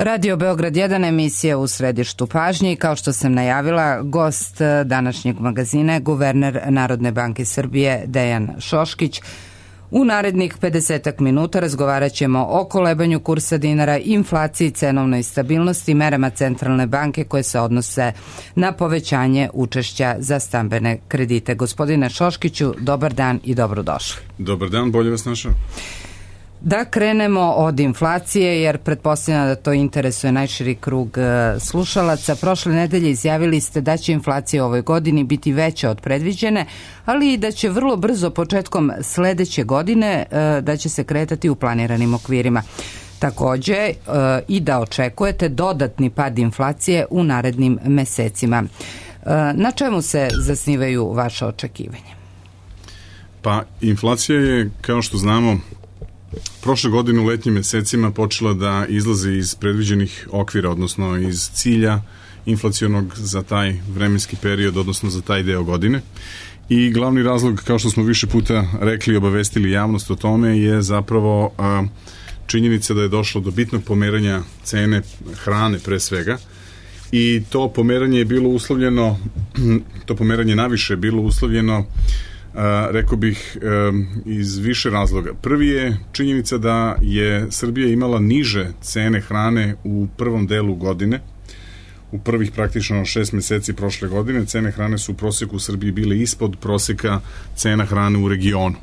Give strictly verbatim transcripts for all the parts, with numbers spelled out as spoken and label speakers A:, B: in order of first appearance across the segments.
A: Radio Beograd jedan, emisija u središtu pažnje i kao što sam najavila, gost današnjeg magazina je guverner Narodne banke Srbije Dejan Šoškić. U narednih pedesetak minuta razgovarat ćemo o kolebanju kursa dinara, inflaciji, cenovnoj stabilnosti, merama Centralne banke koje se odnose na povećanje učešća za stambene kredite. Gospodine Šoškiću, dobar dan i dobrodošli.
B: Dobar dan, bolje vas našao.
A: Da krenemo od inflacije, jer pretpostavljam da to interesuje najširi krug slušalaca. Prošle nedelje izjavili ste da će inflacija u ovoj godini biti veća od predviđene, ali i da će vrlo brzo početkom sledeće godine da će se kretati u planiranim okvirima. Takođe i da očekujete dodatni pad inflacije u narednim mesecima. Na čemu se zasnivaju vaše očekivanja?
B: Pa inflacija je, kao što znamo, prošle godine u letnjim mesecima počela da izlazi iz predviđenih okvira, odnosno iz cilja inflacionog za taj vremenski period, odnosno za taj deo godine. I glavni razlog, kao što smo više puta rekli i obavestili javnost o tome, je zapravo a, činjenica da je došlo do bitnog pomeranja cene hrane pre svega. I to pomeranje je bilo uslovljeno, to pomeranje naviše je bilo uslovljeno Uh, rekao bih um, iz više razloga. Prvi je činjenica da je Srbija imala niže cene hrane u prvom delu godine. U prvih praktično šest meseci prošle godine cene hrane su u proseku u Srbiji bile ispod proseka cena hrane u regionu.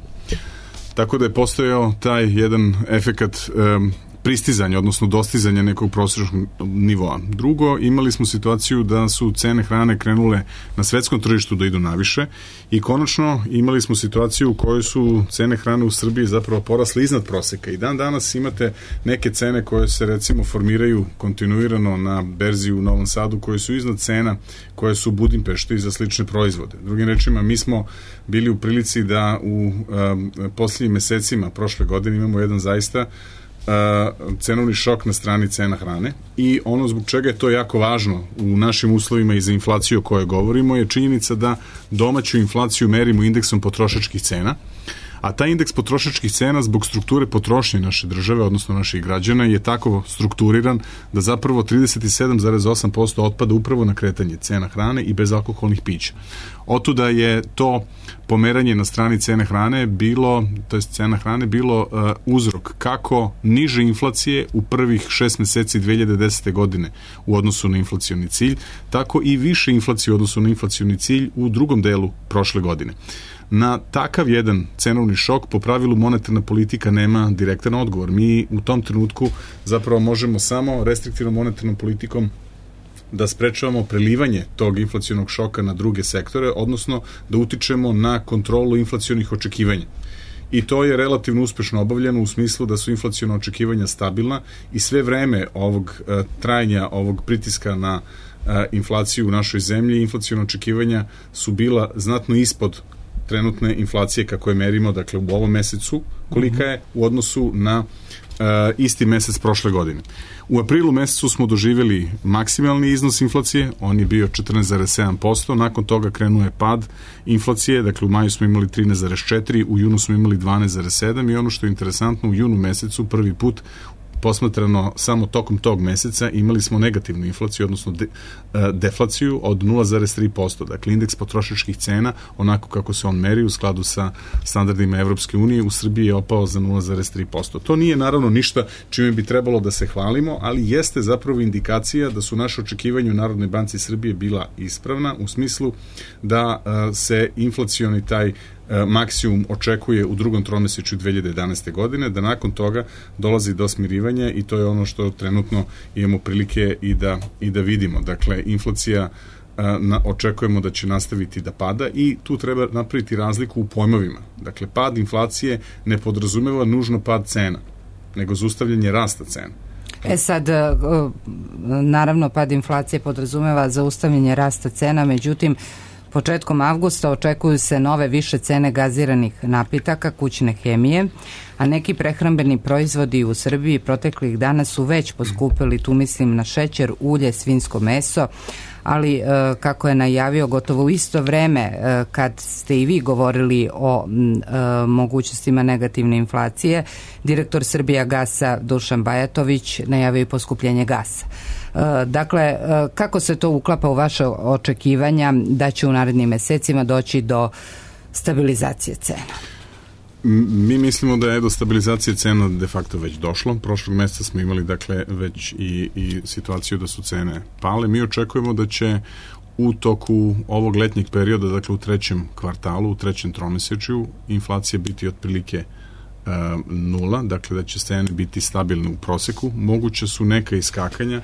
B: Tako da je postojao taj jedan efekat um, pristizanja, odnosno dostizanja nekog prosječnog nivoa. Drugo, imali smo situaciju da su cene hrane krenule na svetskom tržištu da idu naviše i konačno imali smo situaciju u kojoj su cene hrane u Srbiji zapravo porasle iznad proseka i dan danas imate neke cene koje se recimo formiraju kontinuirano na berzi u Novom Sadu koje su iznad cena koje su u Budimpešti za slične proizvode. Drugim rečima, mi smo bili u prilici da u um, posljednjim mesecima prošle godine imamo jedan zaista Uh, cenovni šok na strani cena hrane i ono zbog čega je to jako važno u našim uslovima i za inflaciju o kojoj govorimo je činjenica da domaću inflaciju merimo indeksom potrošačkih cena, a taj indeks potrošačkih cena zbog strukture potrošnje naše države, odnosno naših građana, je tako strukturiran da zapravo trideset sedam zarez osam posto otpada upravo na kretanje cena hrane i bezalkoholnih pića. Otuda je to pomeranje na strani cene hrane bilo, to jest cena hrane bilo uh, uzrok kako niže inflacije u prvih šest meseci dve hiljade desete godine u odnosu na inflacioni cilj, tako i više inflacije u odnosu na inflacioni cilj u drugom delu prošle godine. Na takav jedan cenovni šok po pravilu monetarna politika nema direktan odgovor. Mi u tom trenutku zapravo možemo samo restriktivnom monetarnom politikom da sprečavamo prelivanje tog inflacionog šoka na druge sektore, odnosno da utičemo na kontrolu inflacionih očekivanja. I to je relativno uspešno obavljeno u smislu da su inflaciona očekivanja stabilna i sve vreme ovog uh, trajanja, ovog pritiska na uh, inflaciju u našoj zemlji, inflaciona očekivanja su bila znatno ispod trenutne inflacije kako je merimo, dakle u ovom mesecu, kolika je u odnosu na uh, isti mesec prošle godine. U aprilu mesecu smo doživjeli maksimalni iznos inflacije, on je bio četrnaest zarez sedam posto, nakon toga krenuo je pad inflacije, dakle u maju smo imali trinaest zarez četiri, u junu smo imali dvanaest zarez sedam i ono što je interesantno, u junu mesecu prvi put posmatrano samo tokom tog meseca imali smo negativnu inflaciju, odnosno de, deflaciju od nula zarez tri posto. Dakle, indeks potrošačkih cena, onako kako se on meri u skladu sa standardima Evropske unije, u Srbiji je opao za nula zarez tri posto. To nije naravno ništa čime bi trebalo da se hvalimo, ali jeste zapravo indikacija da su naše očekivanja u Narodnoj banci Srbije bila ispravna u smislu da uh, se inflacioni taj maksimum očekuje u drugom tromesečju dve hiljade jedanaeste godine, da nakon toga dolazi do smirivanja i to je ono što trenutno imamo prilike i da, i da vidimo. Dakle, inflacija na, očekujemo da će nastaviti da pada i tu treba napraviti razliku u pojmovima. Dakle, pad inflacije ne podrazumeva nužno pad cena, nego zaustavljanje rasta cena.
A: E sad, naravno, pad inflacije podrazumeva zaustavljanje rasta cena, međutim, početkom avgusta očekuju se nove više cene gaziranih napitaka, kućne hemije, a neki prehrambeni proizvodi u Srbiji proteklih dana su već poskupili, tu mislim na šećer, ulje, svinjsko meso, ali kako je najavio gotovo u isto vreme kad ste i vi govorili o mogućnostima negativne inflacije, direktor Srbijagasa Dušan Bajatović najavio i poskupljenje gasa. Dakle, kako se to uklapa u vaše očekivanja da će u narednim mesecima doći do stabilizacije cena?
B: Mi mislimo da je do stabilizacije cena de facto već došlo. Prošlog meseca smo imali dakle već i, i situaciju da su cene pale. Mi očekujemo da će u toku ovog letnjeg perioda, dakle u trećem kvartalu, u trećem tromesečju, inflacija biti otprilike e, nula, dakle da će cene biti stabilne u proseku. Moguće su neka iskakanja.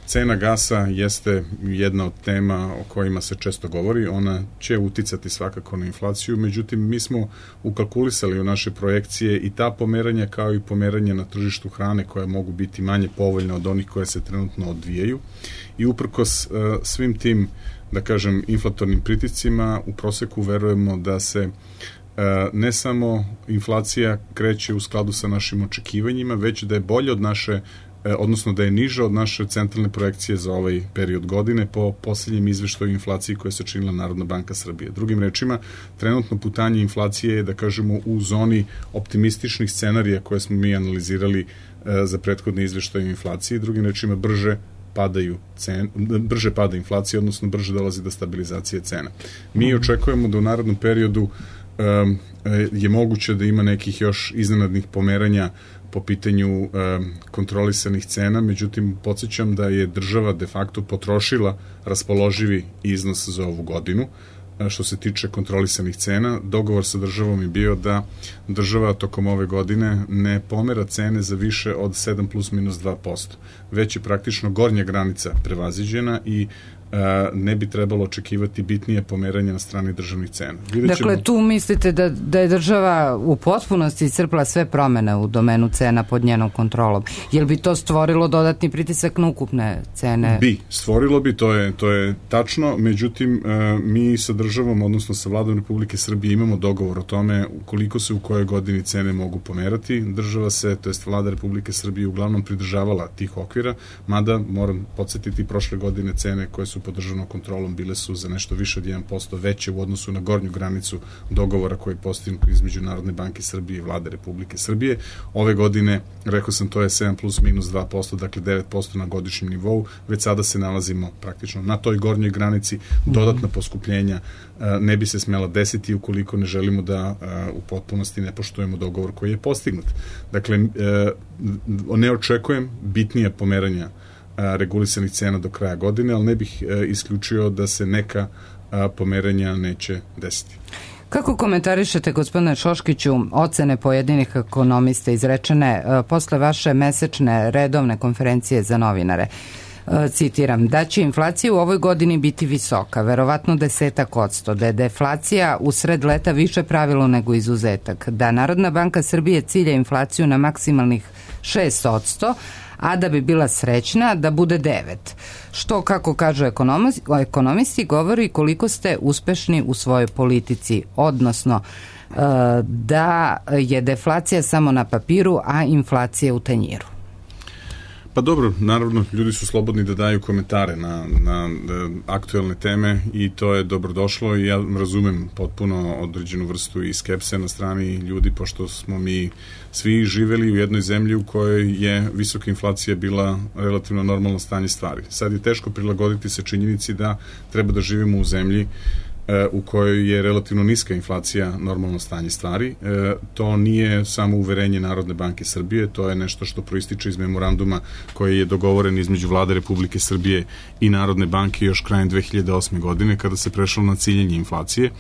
B: Cena gasa jeste jedna od tema o kojima se često govori, ona će uticati svakako na inflaciju, međutim mi smo ukalkulisali u naše projekcije i ta pomeranja kao i pomeranja na tržištu hrane koja mogu biti manje povoljne od onih koje se trenutno odvijaju i uprkos uh, svim tim, da kažem, inflatornim pritiscima u proseku verujemo da se uh, ne samo inflacija kreće u skladu sa našim očekivanjima, već da je bolje od naše odnosno da je niža od naše centralne projekcije za ovaj period godine po posljednjem izveštaju inflaciji koje se činila Narodna banka Srbije. Drugim rečima, trenutno putanje inflacije je, da kažemo, u zoni optimističnih scenarija koje smo mi analizirali e, za prethodne izveštaje inflacije. Drugim rečima, brže padaju cen, brže pada inflacija, odnosno brže dolazi do stabilizacije cena. Mi očekujemo da u narednom periodu e, je moguće da ima nekih još iznenadnih pomeranja po pitanju e, kontrolisanih cena, međutim podsjećam da je država de facto potrošila raspoloživi iznos za ovu godinu. E, što se tiče kontrolisanih cena, dogovor sa državom je bio da država tokom ove godine ne pomera cene za više od sedam plus minus dva posto. Već je praktično gornja granica prevaziđena i ne bi trebalo očekivati bitnije pomeranje na strani državnih cena. Vidjet ćemo...
A: Dakle, tu mislite da, da je država u potpunosti iscrpila sve promene u domenu cena pod njenom kontrolom. Jel bi to stvorilo dodatni pritisak na ukupne cene?
B: Bi, stvorilo bi, to je, to je tačno, međutim, mi sa državom, odnosno sa vladom Republike Srbije imamo dogovor o tome koliko se u kojoj godini cene mogu pomerati. Država se, to jest vlada Republike Srbije, uglavnom pridržavala tih okvira, mada, moram podsjetiti, prošle godine cene koje su pod državnom kontrolom bile su za nešto više od jedan posto veće u odnosu na gornju granicu dogovora koji je postignut između Narodne banke Srbije i vlade Republike Srbije. Ove godine, rekao sam, to je sedam plus minus dva posto, dakle devet posto na godišnjem nivou. Već sada se nalazimo praktično na toj gornjoj granici. Dodatna poskupljenja ne bi se smela desiti ukoliko ne želimo da u potpunosti ne poštujemo dogovor koji je postignut. Dakle, ne očekujem bitnije pomeranja regulisanih cena do kraja godine, ali ne bih isključio da se neka pomeranja neće desiti.
A: Kako komentarišete, gospodine Šoškiću, ocene pojedinih ekonomista izrečene posle vaše mesečne redovne konferencije za novinare? Citiram, da će inflacija u ovoj godini biti visoka, verovatno desetak odsto, da je deflacija u sred leta više pravilo nego izuzetak, da Narodna banka Srbije cilja inflaciju na maksimalnih šest odsto, a da bi bila srećna da bude devet. Što, kako kažu ekonomisti, govori koliko ste uspešni u svojoj politici, odnosno da je deflacija samo na papiru, a inflacija u tanjiru.
B: Pa dobro, naravno, ljudi su slobodni da daju komentare na, na, na aktuelne teme i to je dobrodošlo i ja razumem potpuno određenu vrstu i skepse na strani ljudi, pošto smo mi svi živeli u jednoj zemlji u kojoj je visoka inflacija bila relativno normalno stanje stvari. Sad je teško prilagoditi se činjenici da treba da živimo u zemlji u kojoj je relativno niska inflacija normalno stanje stvari. E, to nije samo uverenje Narodne banke Srbije, to je nešto što proističe iz memoranduma koji je dogovoren između vlade Republike Srbije i Narodne banke još krajem dve hiljade osme. godine kada se prešlo na ciljanje inflacije.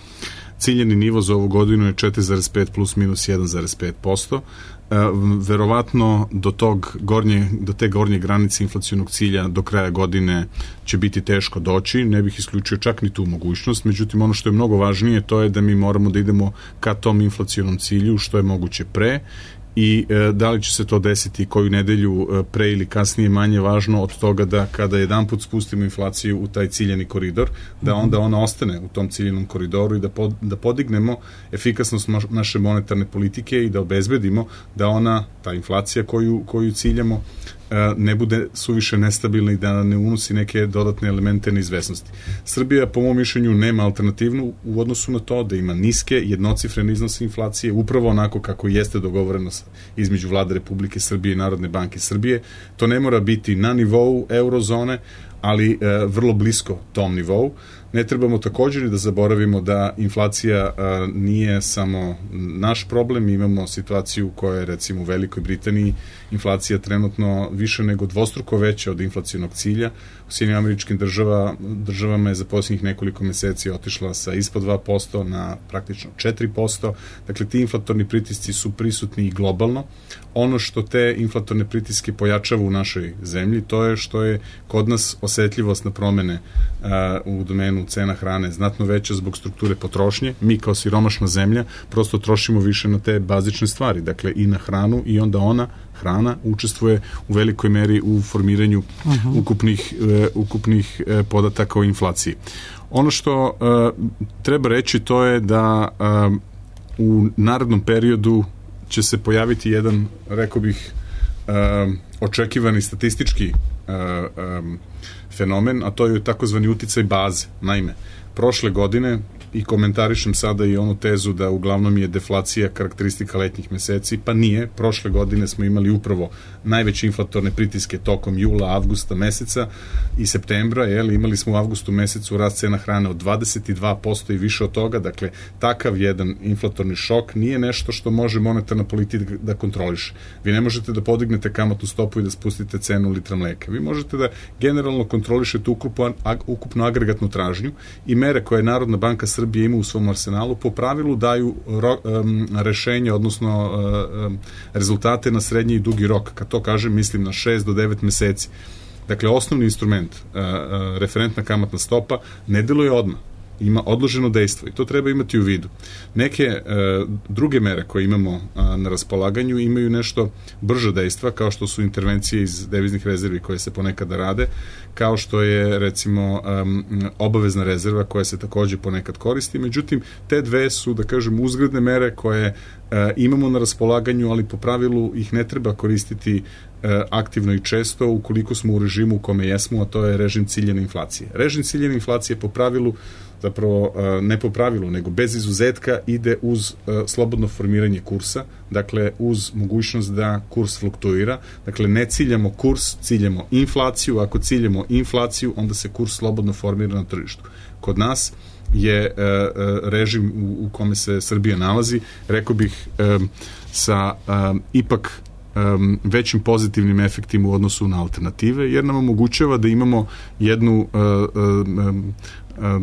B: Ciljeni nivo za ovu godinu je četiri zarez pet plus minus jedan zarez pet posto. E, verovatno do tog gornje, do te gornje granice inflacionog cilja do kraja godine će biti teško doći, ne bih isključio čak ni tu mogućnost, međutim ono što je mnogo važnije to je da mi moramo da idemo ka tom inflacionom cilju što je moguće pre i e, da li će se to desiti koju nedelju e, pre ili kasnije manje važno od toga da kada jedan put spustimo inflaciju u taj ciljani koridor, da onda ona ostane u tom ciljanom koridoru i da, pod, da podignemo efikasnost naše monetarne politike i da obezbedimo da ona, ta inflacija koju, koju ciljamo, ne bude suviše nestabilna i da ne unosi neke dodatne elemente neizvesnosti. Srbija, po mom mišljenju, nema alternativnu u odnosu na to da ima niske, jednocifrene iznose inflacije, upravo onako kako jeste dogovoreno između Vlade Republike Srbije i Narodne banke Srbije. To ne mora biti na nivou eurozone, ali e, vrlo blisko tom nivou. Ne trebamo također da zaboravimo da inflacija a, nije samo naš problem, imamo situaciju koja je recimo u Velikoj Britaniji inflacija trenutno više nego dvostruko veća od inflacionog cilja. U Sjedinjenim Američkim država, državama je za posljednjih nekoliko meseci otišla sa ispod dva posto na praktično četiri posto. Dakle, ti inflatorni pritisci su prisutni i globalno. Ono što te inflatorne pritiske pojačava u našoj zemlji, to je što je kod nas osetljivost na promene a, u domenu cena hrane znatno veća zbog strukture potrošnje. Mi kao siromašna zemlja prosto trošimo više na te bazične stvari, dakle i na hranu, i onda ona hrana učestvuje u velikoj meri u formiranju uh-huh. ukupnih, uh, ukupnih uh, podataka o inflaciji. Ono što uh, treba reći, to je da uh, u narednom periodu će se pojaviti jedan, rekao bih, uh, očekivani statistički uh, um, fenomen, a to je takozvani uticaj baze. Naime, prošle godine, i komentarišem sada i onu tezu da uglavnom je deflacija karakteristika letnjih meseci, pa nije. Prošle godine smo imali upravo najveće inflatorne pritiske tokom jula, avgusta meseca i septembra, jel, imali smo u avgustu mesecu rast cena hrane od dvadeset dva posto i više od toga. Dakle, takav jedan inflatorni šok nije nešto što može monetarna politika da kontroliše. Vi ne možete da podignete kamatnu stopu i da spustite cenu litra mleka. Vi možete da generalno kontrolišete ukupnu, ukupnu agregatnu tražnju i mere koje je Narodna banka Srbije ima u svom arsenalu po pravilu daju ro, um, rešenje, odnosno um, rezultate na srednji i dugi rok. Kad to kažem, mislim na šest do devet meseci. Dakle, osnovni instrument, uh, uh, referentna kamatna stopa, ne deluje odmah. Ima odloženo dejstvo i to treba imati u vidu. Neke e, druge mere koje imamo a, na raspolaganju imaju nešto brže dejstva, kao što su intervencije iz deviznih rezervi koje se ponekada rade, kao što je recimo um, obavezna rezerva koja se takođe ponekad koristi. Međutim, te dve su, da kažem, uzgredne mere koje e, imamo na raspolaganju, ali po pravilu ih ne treba koristiti e, aktivno i često ukoliko smo u režimu u kome jesmo, a to je režim ciljene inflacije. Režim ciljene inflacije po pravilu, zapravo ne po pravilu, nego bez izuzetka ide uz slobodno formiranje kursa, dakle uz mogućnost da kurs fluktuira. Dakle, ne ciljamo kurs, ciljamo inflaciju. Ako ciljamo inflaciju, onda se kurs slobodno formira na tržištu. Kod nas je režim u kome se Srbija nalazi, rekao bih, sa ipak većim pozitivnim efektima u odnosu na alternative, jer nam omogućava da imamo jednu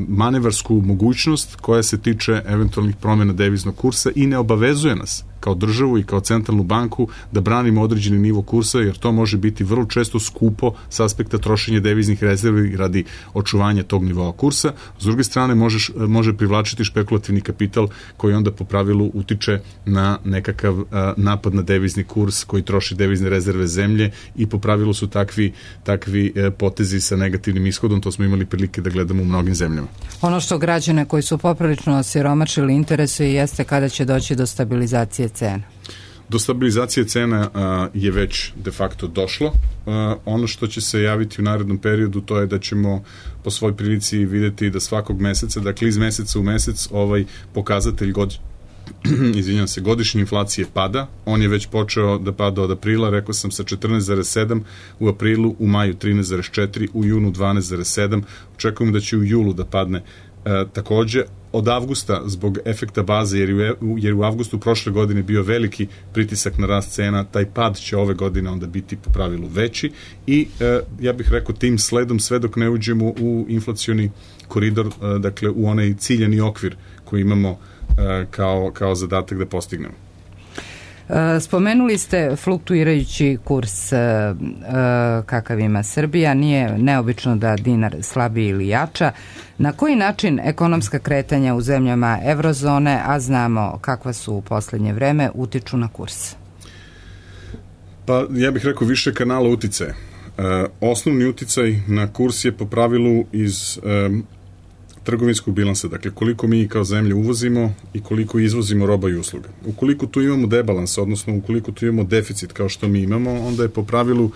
B: manevarsku mogućnost koja se tiče eventualnih promjena deviznog kursa i ne obavezuje nas kao državu i kao centralnu banku da branimo određeni nivo kursa, jer to može biti vrlo često skupo s aspekta trošenja deviznih rezervi radi očuvanja tog nivoa kursa. S druge strane, možeš, može privlačiti špekulativni kapital koji onda po pravilu utiče na nekakav a, napad na devizni kurs koji troši devizne rezerve zemlje i po pravilu su takvi, takvi e, potezi sa negativnim ishodom. To smo imali prilike da gledamo u mnogim zemljama.
A: Ono što građane koji su poprilično osiromašili interesuje jeste kada će doći do stabilizacije cena.
B: Do stabilizacije cena a, je već de facto došlo. A, ono što će se javiti u narednom periodu, to je da ćemo po svoj prilici videti da svakog meseca, dakle iz meseca u mesec, ovaj pokazatelj god, izvinjam se, godišnje inflacije pada. On je već počeo da pada od aprila, rekao sam, sa četrnaest zarez sedam u aprilu, u maju trinaest zarez četiri, u junu dvanaest zarez sedam. Očekujemo da će u julu da padne e, takođe. Od avgusta, zbog efekta baze, jer je, jer u avgustu prošle godine bio veliki pritisak na rast cena, taj pad će ove godine onda biti po pravilu veći i e, ja bih rekao tim sledom sve dok ne uđemo u inflacioni koridor, e, dakle u onaj ciljani okvir koji imamo e, kao, kao zadatak da postignemo.
A: Spomenuli ste fluktuirajući kurs kakav ima Srbija, nije neobično da dinar slabi ili jača. Na koji način ekonomska kretanja u zemljama evrozone, a znamo kakva su u poslednje vreme, utiču na kurs?
B: Pa ja bih rekao više kanala uticaja. Osnovni uticaj na kurs je po pravilu iz trgovinskog bilansa, dakle koliko mi kao zemlja uvozimo i koliko izvozimo roba i usluga. Ukoliko tu imamo debalans, odnosno ukoliko tu imamo deficit kao što mi imamo, onda je po pravilu uh,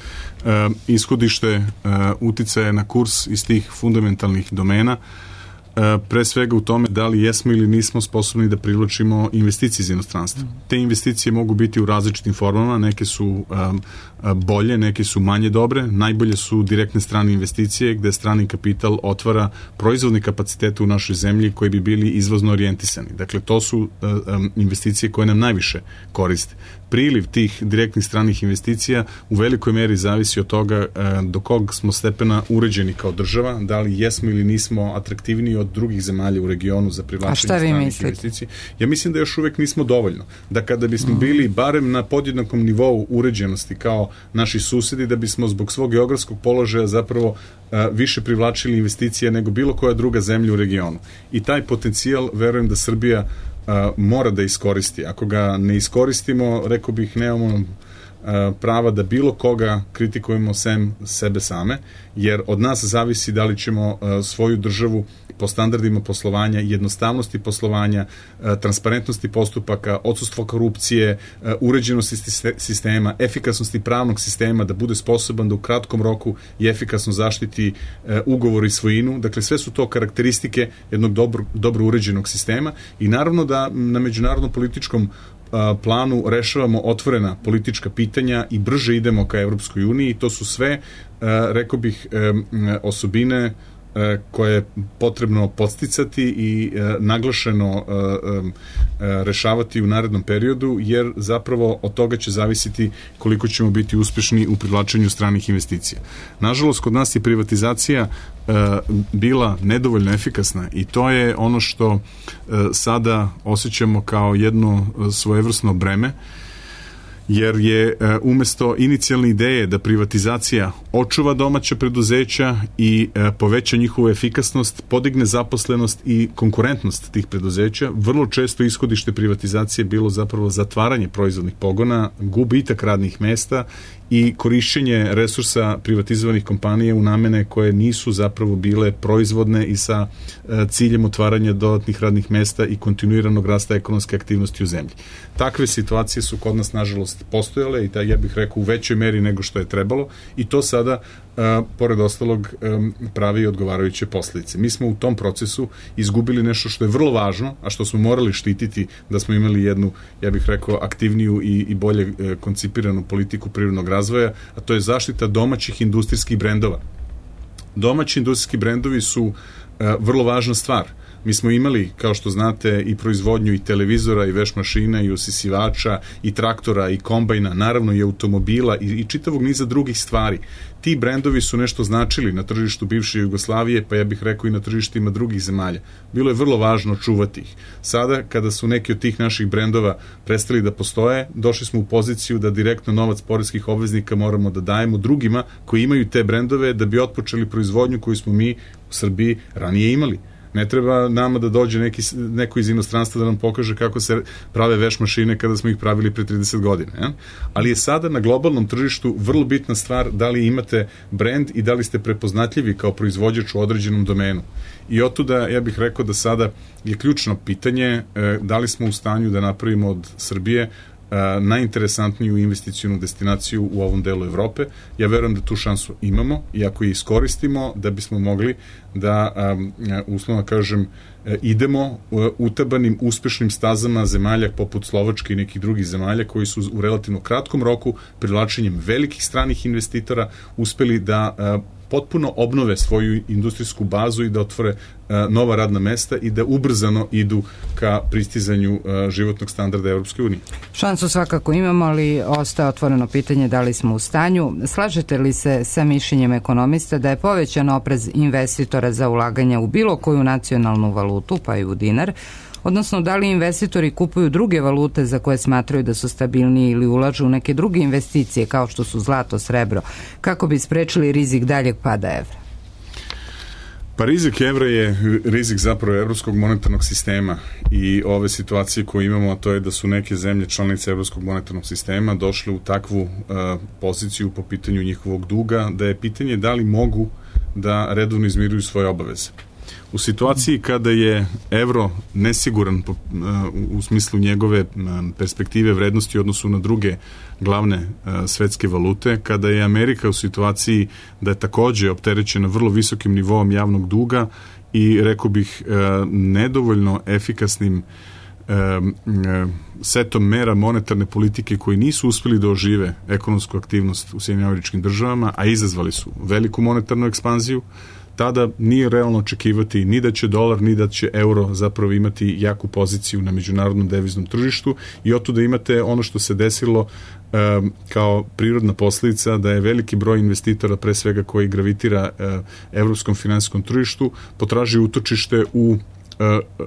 B: ishodište uh, uticaja na kurs iz tih fundamentalnih domena, pre svega u tome da li jesmo ili nismo sposobni da privlačimo investicije iz inostranstva. Te investicije mogu biti u različitim formama, neke su um, bolje, neke su manje dobre, najbolje su direktne strane investicije gde strani kapital otvara proizvodne kapacitete u našoj zemlji koji bi bili izvozno orijentisani. Dakle, to su um, investicije koje nam najviše koriste. Priliv tih direktnih stranih investicija u velikoj meri zavisi od toga do kog smo stepena uređeni kao država, da li jesmo ili nismo atraktivniji od drugih zemalja u regionu za privlačenje stranih investicija. Ja mislim da još uvek nismo dovoljno. Da kada bismo bili barem na podjednakom nivou uređenosti kao naši susedi, da bismo zbog svog geografskog položaja zapravo više privlačili investicije nego bilo koja druga zemlja u regionu. I taj potencijal, verujem da Srbija Uh, mora da iskoristi. Ako ga ne iskoristimo, rekao bih, nemamo uh, prava da bilo koga kritikujemo sem sebe same, jer od nas zavisi da li ćemo uh, svoju državu po standardima poslovanja, jednostavnosti poslovanja, uh, transparentnosti postupaka, odsustvo korupcije, uh, uređenosti sistema, efikasnosti pravnog sistema, da bude sposoban da u kratkom roku i efikasno zaštiti uh, ugovor i svojinu. Dakle, sve su to karakteristike jednog dobro, dobro uređenog sistema i naravno da na međunarodnom političkom planu rešavamo otvorena politička pitanja i brže idemo ka Evropskoj uniji. To su sve, rekao bih, osobine koje je potrebno podsticati i naglašeno rešavati u narednom periodu, jer zapravo od toga će zavisiti koliko ćemo biti uspešni u privlačenju stranih investicija. Nažalost, kod nas je privatizacija bila nedovoljno efikasna i to je ono što sada osjećamo kao jedno svojevrsno breme, jer je umesto inicijalne ideje da privatizacija očuva domaća preduzeća i poveća njihovu efikasnost, podigne zaposlenost i konkurentnost tih preduzeća, vrlo često ishodište privatizacije bilo zapravo zatvaranje proizvodnih pogona, gubitak radnih mesta i korišćenje resursa privatizovanih kompanija u namene koje nisu zapravo bile proizvodne i sa ciljem otvaranja dodatnih radnih mesta i kontinuiranog rasta ekonomske aktivnosti u zemlji. Takve situacije su kod nas, nažalost, postojale i da, ja bih rekao, u većoj meri nego što je trebalo i to sada, a, pored ostalog, a, pravi odgovarajuće posljedice. Mi smo u tom procesu izgubili nešto što je vrlo važno, a što smo morali štititi da smo imali jednu, ja bih rekao, aktivniju i, i bolje e, koncipiranu politiku privrednog razvoja, a to je zaštita domaćih industrijskih brendova. Domaći industrijski brendovi su e, vrlo važna stvar. Mi smo imali, kao što znate, i proizvodnju i televizora, i veš mašina, i usisivača, i traktora, i kombajna, naravno i automobila i, i čitavog niza drugih stvari. Ti brendovi su nešto značili na tržištu bivše Jugoslavije, pa ja bih rekao i na tržištima drugih zemalja. Bilo je vrlo važno čuvati ih. Sada, kada su neki od tih naših brendova prestali da postoje, došli smo u poziciju da direktno novac poreskih obveznika moramo da dajemo drugima koji imaju te brendove da bi otpočeli proizvodnju koju smo mi u Srbiji ranije imali. Ne treba nama da dođe neki, neko iz inostranstva da nam pokaže kako se prave veš mašine kada smo ih pravili pre trideset godina. Ja? Ali je sada na globalnom tržištu vrlo bitna stvar da li imate brend i da li ste prepoznatljivi kao proizvođač u određenom domenu. I otuda ja bih rekao da sada je ključno pitanje da li smo u stanju da napravimo od Srbije najinteresantniju investicijnu destinaciju u ovom delu Evrope. Ja verujem da tu šansu imamo i ako je iskoristimo da bismo mogli da, uslovno kažem, idemo utabanim uspešnim stazama zemalja poput Slovačke i nekih drugih zemalja koji su u relativno kratkom roku privlačenjem velikih stranih investitora uspeli da potpuno obnove svoju industrijsku bazu i da otvore nova radna mesta i da ubrzano idu ka pristizanju životnog standarda Evropske unije.
A: Šansu svakako imamo, ali ostaje otvoreno pitanje da li smo u stanju. Slažete li se sa mišljenjem ekonomista da je povećan oprez investitora za ulaganje u bilo koju nacionalnu valutu, pa i u dinar, odnosno da li investitori kupuju druge valute za koje smatraju da su stabilniji ili ulažu u neke druge investicije kao što su zlato, srebro, kako bi sprečili rizik daljeg pada evra?
B: Pa rizik evra je rizik zapravo evropskog monetarnog sistema i ove situacije koje imamo, a to je da su neke zemlje članice evropskog monetarnog sistema došle u takvu uh, poziciju po pitanju njihovog duga, da je pitanje da li mogu da redovno izmiruju svoje obaveze. U situaciji kada je evro nesiguran u smislu njegove perspektive vrednosti u odnosu na druge glavne svetske valute, kada je Amerika u situaciji da je takođe opterećena vrlo visokim nivoom javnog duga i, rekao bih, nedovoljno efikasnim setom mera monetarne politike koji nisu uspeli da ožive ekonomsku aktivnost u Sjedinjenim Američkim Državama, a izazvali su veliku monetarnu ekspanziju, tada nije realno očekivati ni da će dolar, ni da će euro zapravo imati jaku poziciju na međunarodnom deviznom tržištu i otuda imate ono što se desilo um, kao prirodna posljedica da je veliki broj investitora, pre svega koji gravitira uh, evropskom finansijskom tržištu, potraži utočište u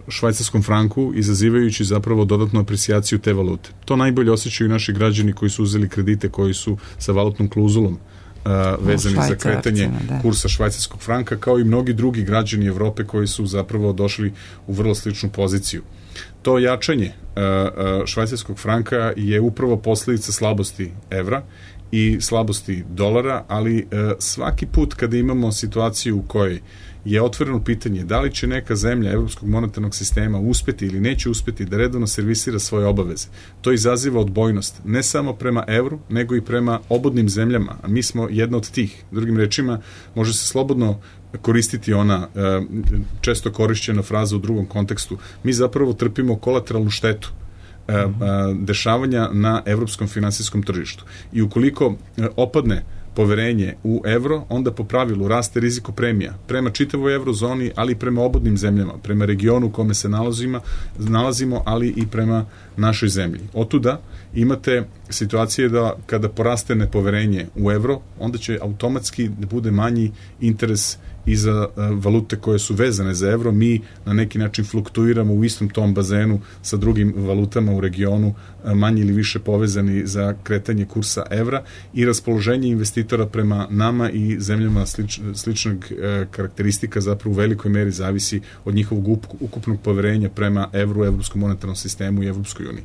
B: švajcarskom franku, izazivajući zapravo dodatnu aprecijaciju te valute. To najbolje osjećaju naši građani koji su uzeli kredite koji su sa valutnom klauzulom uh, vezani za kretanje da. kursa švajcarskog franka, kao i mnogi drugi građani Evrope koji su zapravo došli u vrlo sličnu poziciju. To jačanje uh, uh, švajcarskog franka je upravo posljedica slabosti evra i slabosti dolara, ali uh, svaki put kada imamo situaciju u kojoj je otvoreno pitanje da li će neka zemlja Evropskog monetarnog sistema uspeti ili neće uspeti da redovno servisira svoje obaveze. To izaziva odbojnost, ne samo prema evru, nego i prema obodnim zemljama, a mi smo jedna od tih. Drugim rečima, može se slobodno koristiti ona e, često korišćena fraza u drugom kontekstu. Mi zapravo trpimo kolateralnu štetu e, e, dešavanja na evropskom finansijskom tržištu. I ukoliko e, opadne poverenje u evro, onda po pravilu raste riziko premija prema čitavoj evrozoni, ali i prema obodnim zemljama, prema regionu u kome se nalazimo, nalazimo, ali i prema našoj zemlji. Otuda imate situacije da kada poraste nepoverenje u evro, onda će automatski da bude manji interes i za valute koje su vezane za evro. Mi na neki način fluktuiramo u istom tom bazenu sa drugim valutama u regionu, manje ili više povezani za kretanje kursa evra, i raspoloženje investitora prema nama i zemljama slič, sličnog e, karakteristika zapravo u velikoj meri zavisi od njihovog ukupnog poverenja prema evru, evropskom monetarnom sistemu i Evropskoj uniji.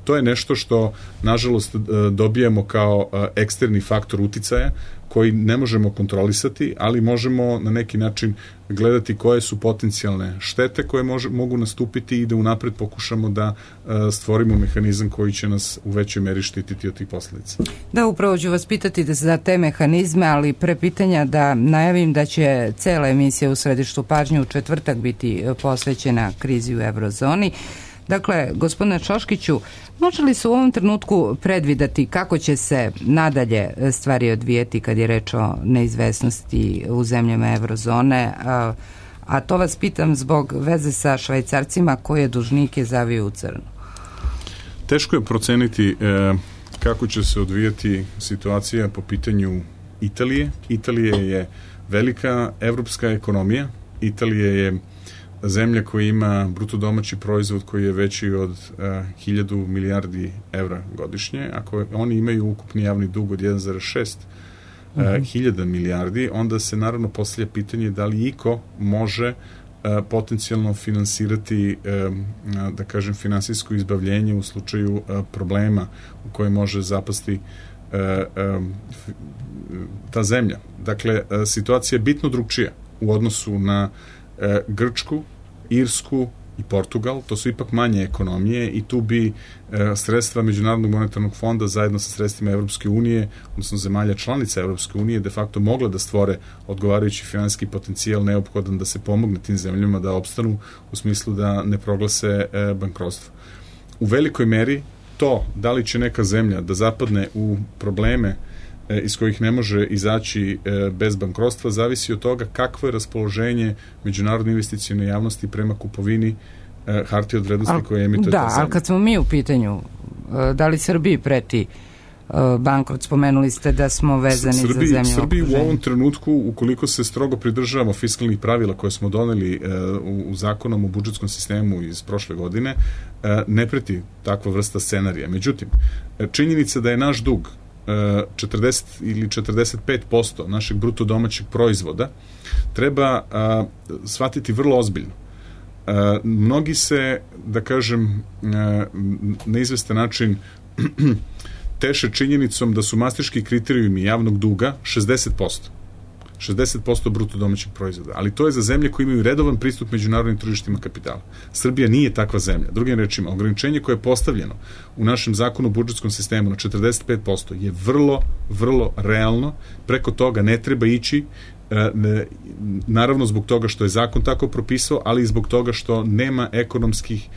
B: To je nešto što, nažalost, dobijamo kao eksterni faktor uticaja koji ne možemo kontrolisati, ali možemo na neki način gledati koje su potencijalne štete koje može, mogu nastupiti i da unapred pokušamo da stvorimo mehanizam koji će nas u većoj meri štititi od tih posljedica.
A: Da, upravo ću vas pitati da za te mehanizme, ali pre pitanja da najavim da će cela emisija u središtu pažnje u četvrtak biti posvećena krizi u evrozoni. Dakle, gospodine Šoškiću, može li se u ovom trenutku predvidati kako će se nadalje stvari odvijeti kad je reč o neizvesnosti u zemljama evrozone, a, a to vas pitam zbog veze sa Švajcarcima koje dužnike zaviju u crno?
B: Teško je proceniti e, kako će se odvijati situacija po pitanju Italije. Italija je velika evropska ekonomija. Italija je zemlja koja ima bruto domaći proizvod koji je veći od uh, hiljadu milijardi evra godišnje. Ako oni imaju ukupni javni dug od jedan zarez šest uh, uh-huh. hiljada milijardi, onda se naravno postavlja pitanje da li iko može uh, potencijalno finansirati, um, uh, da kažem, finansijsko izbavljenje u slučaju uh, problema u koje može zapasti uh, um, ta zemlja. Dakle, uh, situacija je bitno drugčija u odnosu na E, Grčku, Irsku i Portugal. To su ipak manje ekonomije i tu bi e, sredstva Međunarodnog monetarnog fonda zajedno sa sredstvima Evropske unije, odnosno zemalja članica Evropske unije, de facto mogla da stvore odgovarajući finansijski potencijal neophodan da se pomogne tim zemljama da opstanu u smislu da ne proglase e, bankrotstvo. U velikoj meri to da li će neka zemlja da zapadne u probleme iz kojih ne može izaći bez bankrotstva, zavisi od toga kakvo je raspoloženje međunarodne investicione javnosti prema kupovini hartija od vrednosti al, koje emituje ta zemlja. Da, ali kad smo mi u pitanju, da li Srbiji preti bankrot, spomenuli ste da smo vezani Srbiji, za zemlju Srbiji u ovom trenutku, ukoliko se strogo pridržavamo fiskalnih pravila koje smo doneli u, u zakonom o budžetskom sistemu iz prošle godine, ne preti takva vrsta scenarija. Međutim, činjenica da je naš dug četrdeset ili četrdeset pet posto našeg bruto domaćeg proizvoda treba a, shvatiti vrlo ozbiljno. A, mnogi se, da kažem, a, na izvestan način teše činjenicom da su mastriški kriterijumi javnog duga šezdeset posto. šezdeset posto bruto domaćeg proizvoda, ali to je za zemlje koje imaju redovan pristup međunarodnim tržištima kapitala. Srbija nije takva zemlja. Drugim rečima, ograničenje koje je postavljeno u našem zakonu o budžetskom sistemu na četrdeset pet posto je vrlo, vrlo realno. Preko toga ne treba ići, naravno zbog toga što je zakon tako propisao, ali i zbog toga što nema ekonomskih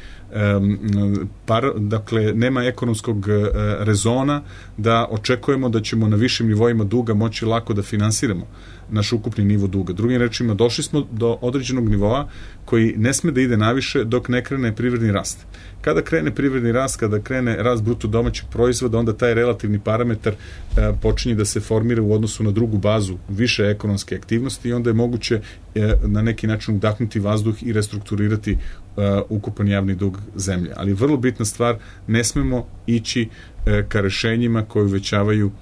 B: Um, par, dakle, nema ekonomskog uh, rezona da očekujemo da ćemo na višim nivoima duga moći lako da finansiramo naš ukupni nivo duga. Drugim rečima, došli smo do određenog nivoa koji ne sme da ide naviše dok ne krene privredni rast. Kada krene privredni rast, kada krene rast bruto domaćeg proizvoda, onda taj relativni parametar uh, počinje da se formira u odnosu na drugu bazu više ekonomske aktivnosti i onda je moguće uh, na neki način udahnuti vazduh i restrukturirati uh, ukupan javni dug zemlje. Ali vrlo bitna stvar, ne smemo ići uh, ka rešenjima koji uvećavaju uh,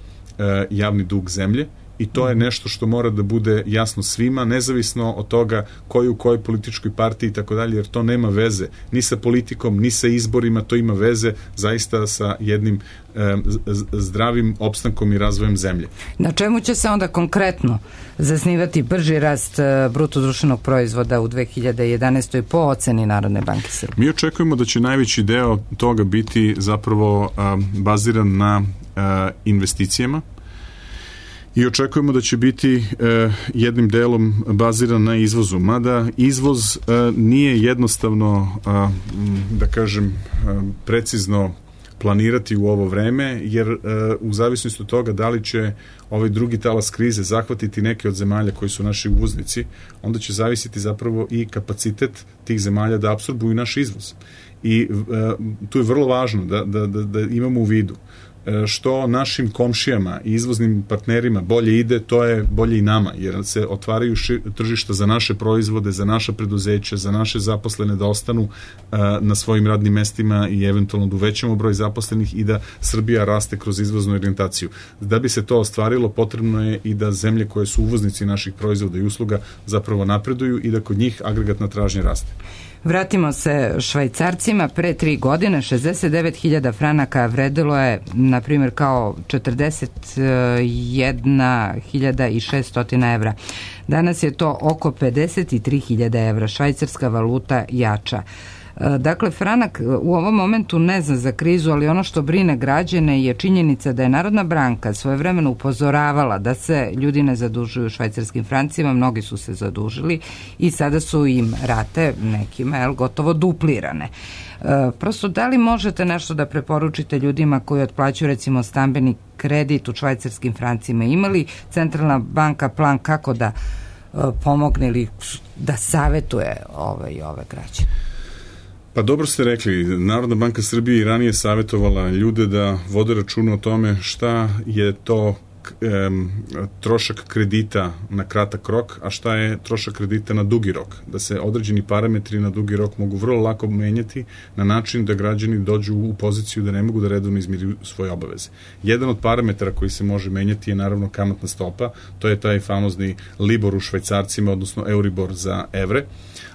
B: javni dug zemlje i to je nešto što mora da bude jasno svima, nezavisno od toga koji u kojoj političkoj partiji i tako dalje, jer to nema veze ni sa politikom, ni sa izborima, to ima veze zaista sa jednim e, zdravim opstankom i razvojem zemlje.
A: Na čemu će se onda konkretno zasnivati brži rast bruto društvenog proizvoda u dve hiljade jedanaestoj po oceni Narodne banke Srbije?
B: Mi očekujemo da će najveći deo toga biti zapravo a, baziran na a, investicijama, i očekujemo da će biti e, jednim delom baziran na izvozu. Mada izvoz e, nije jednostavno, a, da kažem, a, precizno planirati u ovo vreme, jer e, u zavisnosti od toga da li će ovaj drugi talas krize zahvatiti neke od zemalja koji su naši uvoznici, onda će zavisiti zapravo i kapacitet tih zemalja da apsorbuju naš izvoz. I e, tu je vrlo važno da, da, da, da imamo u vidu što našim komšijama i izvoznim partnerima bolje ide, to je bolje i nama, jer se otvaraju ši, tržišta za naše proizvode, za naša preduzeća, za naše zaposlene da ostanu uh, na svojim radnim mestima i eventualno da uvećamo broj zaposlenih i da Srbija raste kroz izvoznu orijentaciju. Da bi se to ostvarilo, potrebno je i da zemlje koje su uvoznici naših proizvoda i usluga zapravo napreduju i da kod njih agregatna tražnja raste.
A: Vratimo se Švajcarcima. Pre tri godine šezdeset devet hiljada franaka vredilo je, na primjer, kao četrdeset jedna hiljada i šesto evra. Danas je to oko pedeset tri hiljade evra. Švajcarska valuta jača. Dakle, franak u ovom momentu ne zna za krizu, ali ono što brine građane je činjenica da je Narodna banka svojevremeno upozoravala da se ljudi ne zadužuju švajcarskim francima, mnogi su se zadužili i sada su im rate nekima jel, gotovo duplirane. E, prosto, da li možete nešto da preporučite ljudima koji otplaćuju recimo stambeni kredit u švajcarskim francima? Ima li Centralna banka plan kako da e, pomogne ili da savetuje ove i ove građane?
B: Pa dobro ste rekli, Narodna banka Srbije i ranije savjetovala ljude da vode računa o tome šta je to em, trošak kredita na kratak rok, a šta je trošak kredita na dugi rok. Da se određeni parametri na dugi rok mogu vrlo lako menjati na način da građani dođu u poziciju da ne mogu da redovno izmiruju svoje obaveze. Jedan od parametara koji se može menjati je naravno kamatna stopa, to je taj famozni Libor u švajcarcima, odnosno Euribor za evre,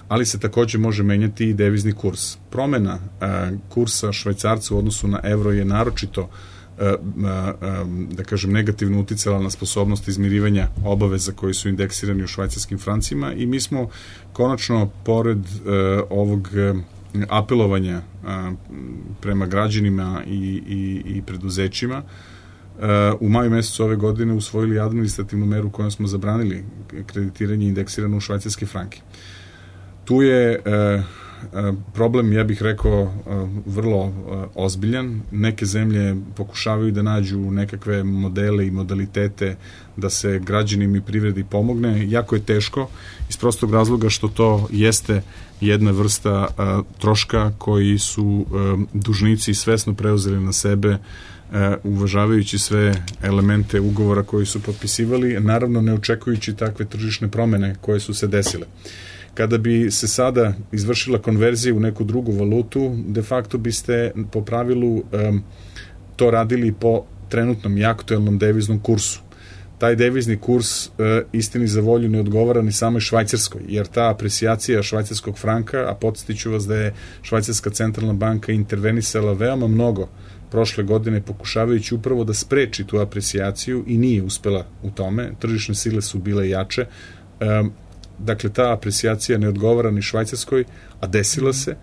B: ali se takođe može menjati i devizni kurs. Promena a, kursa švajcarca u odnosu na evro je naročito a, a, a, da kažem negativno uticala na sposobnost izmirivanja obaveza koji su indeksirani u švajcarskim francima i mi smo konačno pored a, ovog a, apelovanja a, prema građanima i, i, i preduzećima u maju mesecu ove godine usvojili administrativnu meru kojom smo zabranili kreditiranje indeksirano u švajcarske franke. Tu je e, problem, ja bih rekao, e, vrlo e, ozbiljan. Neke zemlje pokušavaju da nađu nekakve modele i modalitete da se građanima i privredi pomogne. Jako je teško iz prostog razloga što to jeste jedna vrsta e, troška koji su e, dužnici svesno preuzeli na sebe, Uh, uvažavajući sve elemente ugovora koji su potpisivali, naravno ne očekujući takve tržišne promene koje su se desile. Kada bi se sada izvršila konverzija u neku drugu valutu, de facto biste po pravilu um, to radili po trenutnom i aktuelnom deviznom kursu. Taj devizni kurs uh, istini za volju ne odgovara ni samoj Švajcarskoj, jer ta aprecijacija švajcarskog franka, a podsjetiću vas da je Švajcarska centralna banka intervenisala veoma mnogo prošle godine pokušavajući upravo da spreči tu aprecijaciju i nije uspela u tome. Tržišne sile su bile jače. Dakle, ta aprecijacija ne odgovara ni Švajcarskoj, a desila se.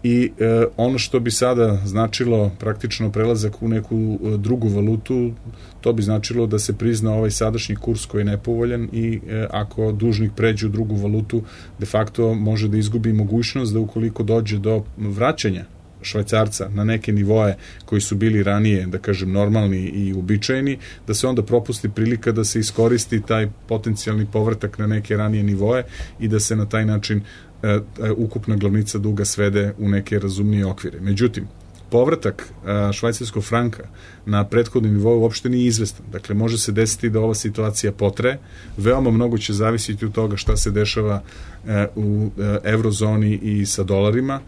B: I e, ono što bi sada značilo praktično prelazak u neku drugu valutu, to bi značilo da se prizna ovaj sadašnji kurs koji je nepovoljan i e, ako dužnik pređe u drugu valutu, de facto može da izgubi mogućnost da ukoliko dođe do vraćanja Švajcarca na neke nivoe koji su bili ranije, da kažem, normalni i uobičajeni, da se onda propusti prilika da se iskoristi taj potencijalni povratak na neke ranije nivoe i da se na taj način e, ukupna glavnica duga svede u neke razumnije okvire. Međutim, povratak e, švajcarskog franka na prethodni nivo uopšte nije izvestan. Dakle, može se desiti da ova situacija potraje. Veoma mnogo će zavisiti od toga šta se dešava e, u e, eurozoni i sa dolarima.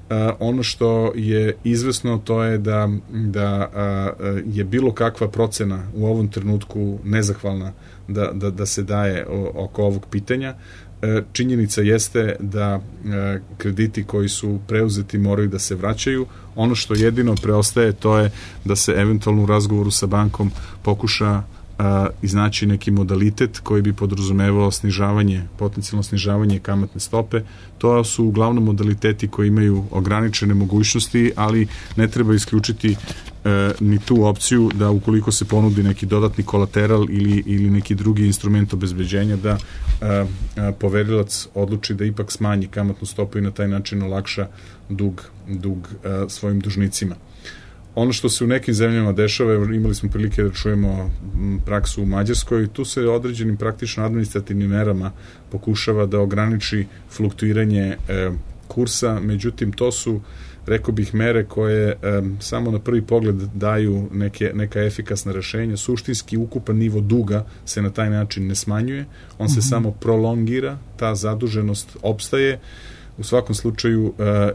B: Uh, ono što je izvesno to je da, da uh, je bilo kakva procena u ovom trenutku nezahvalna da, da, da se daje o, oko ovog pitanja. Uh, činjenica jeste da uh, krediti koji su preuzeti moraju da se vraćaju. Ono što jedino preostaje to je da se eventualno u razgovoru sa bankom pokuša Uh, iznaći neki modalitet koji bi podrazumevao snižavanje, potencijalno snižavanje kamatne stope. To su uglavnom modaliteti koji imaju ograničene mogućnosti, ali ne treba isključiti uh, ni tu opciju da ukoliko se ponudi neki dodatni kolateral ili, ili neki drugi instrument obezbeđenja da uh, uh, poverilac odluči da ipak smanji kamatnu stopu i na taj način olakša dug, dug uh, svojim dužnicima. Ono što se u nekim zemljama dešava, imali smo prilike da čujemo praksu u Mađarskoj, tu se određenim praktično administrativnim merama pokušava da ograniči fluktuiranje e, kursa, međutim to su, rekao bih, mere koje e, samo na prvi pogled daju neke, neka efikasna rešenja. Suštinski ukupan nivo duga se na taj način ne smanjuje, on se mm-hmm. samo prolongira, ta zaduženost opstaje. U svakom slučaju uh,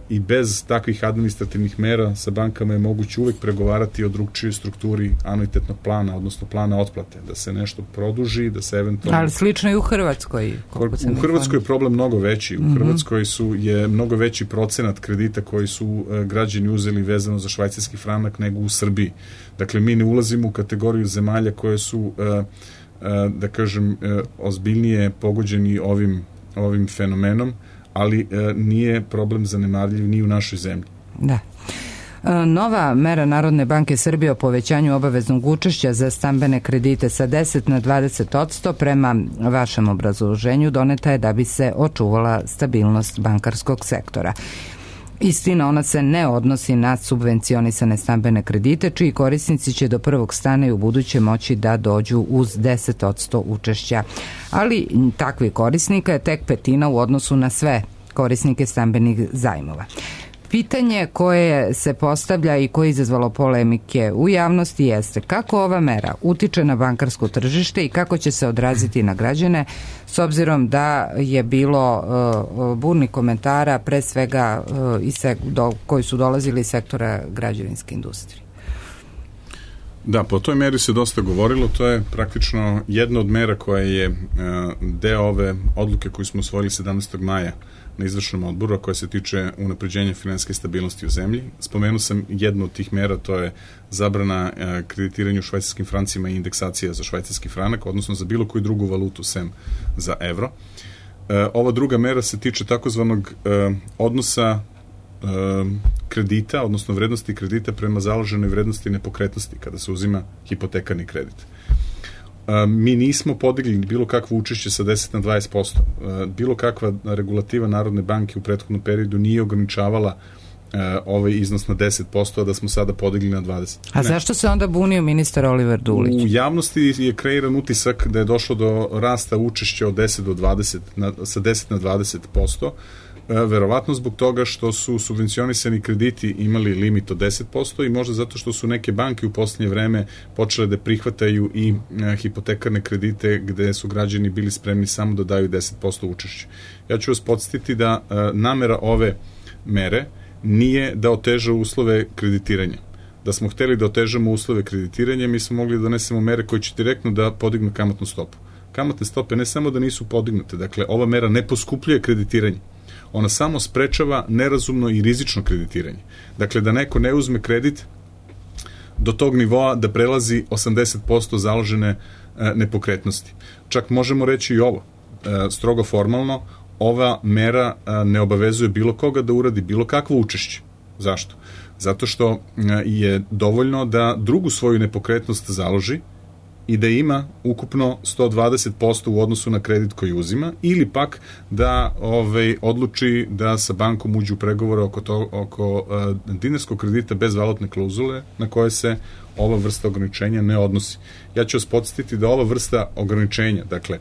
B: i bez takvih administrativnih mera sa bankama je moguće uvek pregovarati o drugčijoj strukturi anuitetnog plana, odnosno plana otplate, da se nešto produži, da se eventualno...
A: Ali slično i u Hrvatskoj.
B: U Hrvatskoj je problem mnogo veći. U mm-hmm. Hrvatskoj su, je mnogo veći procenat kredita koji su uh, građani uzeli vezano za švajcarski franak nego u Srbiji. Dakle, mi ne ulazimo u kategoriju zemalja koje su, uh, uh, da kažem, uh, ozbiljnije pogođeni ovim, ovim fenomenom, ali e, nije problem zanemarljiv ni u našoj zemlji.
A: Da. E, nova mera Narodne banke Srbije o povećanju obaveznog učešća za stambene kredite sa deset na dvadeset odsto prema vašem obrazloženju doneta je da bi se očuvala stabilnost bankarskog sektora. Istina, ona se ne odnosi na subvencionisane stambene kredite, čiji korisnici će do prvog stana i u buduće moći da dođu uz deset odsto učešća. Ali takvi korisnika je tek petina u odnosu na sve korisnike stambenih zajmova. Pitanje koje se postavlja i koje je izazvalo polemike u javnosti jeste kako ova mera utiče na bankarsko tržište i kako će se odraziti na građane, s obzirom da je bilo uh, burnih komentara, pre svega uh, iz sek- do, koji su dolazili iz sektora građevinske industrije.
B: Da, po toj meri se dosta govorilo, to je praktično jedna od mera koja je uh, deo ove odluke koju smo usvojili sedamnaestog maja na izvršnom odboru, a koja se tiče unapređenja finansijske stabilnosti u zemlji. Spomenuo sam jednu od tih mera, to je zabrana e, kreditiranja u švajcarskim francima i indeksacija za švajcarski franak, odnosno za bilo koju drugu valutu sem za evro. E, ova druga mera se tiče takozvanog e, odnosa e, kredita, odnosno vrednosti kredita prema založenoj vrednosti nepokretnosti kada se uzima hipotekarni kredit. Mi nismo podigli bilo kakvo učešće sa deset na dvadeset posto. Bilo kakva regulativa Narodne banke u prethodnom periodu nije ograničavala ovaj iznos na deset posto, a da smo sada podigli na dvadeset.
A: A ne. Zašto se onda bunio ministar Oliver Dulić?
B: U javnosti je kreiran utisak da je došlo do rasta učešća od deset do dvadeset, na, sa deset na dvadeset posto. Verovatno zbog toga što su subvencionisani krediti imali limit od deset posto i možda zato što su neke banke u posljednje vreme počele da prihvataju i e, hipotekarne kredite gde su građani bili spremni samo da daju deset posto učešća. Ja ću vas podsjetiti da e, namera ove mere nije da oteža uslove kreditiranja. Da smo hteli da otežamo uslove kreditiranja, mi smo mogli da donesemo mere koje će direktno da podignu kamatnu stopu. Kamatne stope ne samo da nisu podignute, dakle ova mera ne poskupljuje kreditiranje. Ona samo sprečava nerazumno i rizično kreditiranje. Dakle, da neko ne uzme kredit do tog nivoa da prelazi osamdeset posto založene nepokretnosti. Čak možemo reći i ovo, strogo formalno, ova mera ne obavezuje bilo koga da uradi bilo kakvo učešće. Zašto? Zato što je dovoljno da drugu svoju nepokretnost založi i da ima ukupno sto dvadeset posto u odnosu na kredit koji uzima, ili pak da ovaj, odluči da sa bankom uđe u pregovore oko, to, oko uh, dinarskog kredita bez valutne klauzule na koje se ova vrsta ograničenja ne odnosi. Ja ću vas podsjetiti da ova vrsta ograničenja, dakle,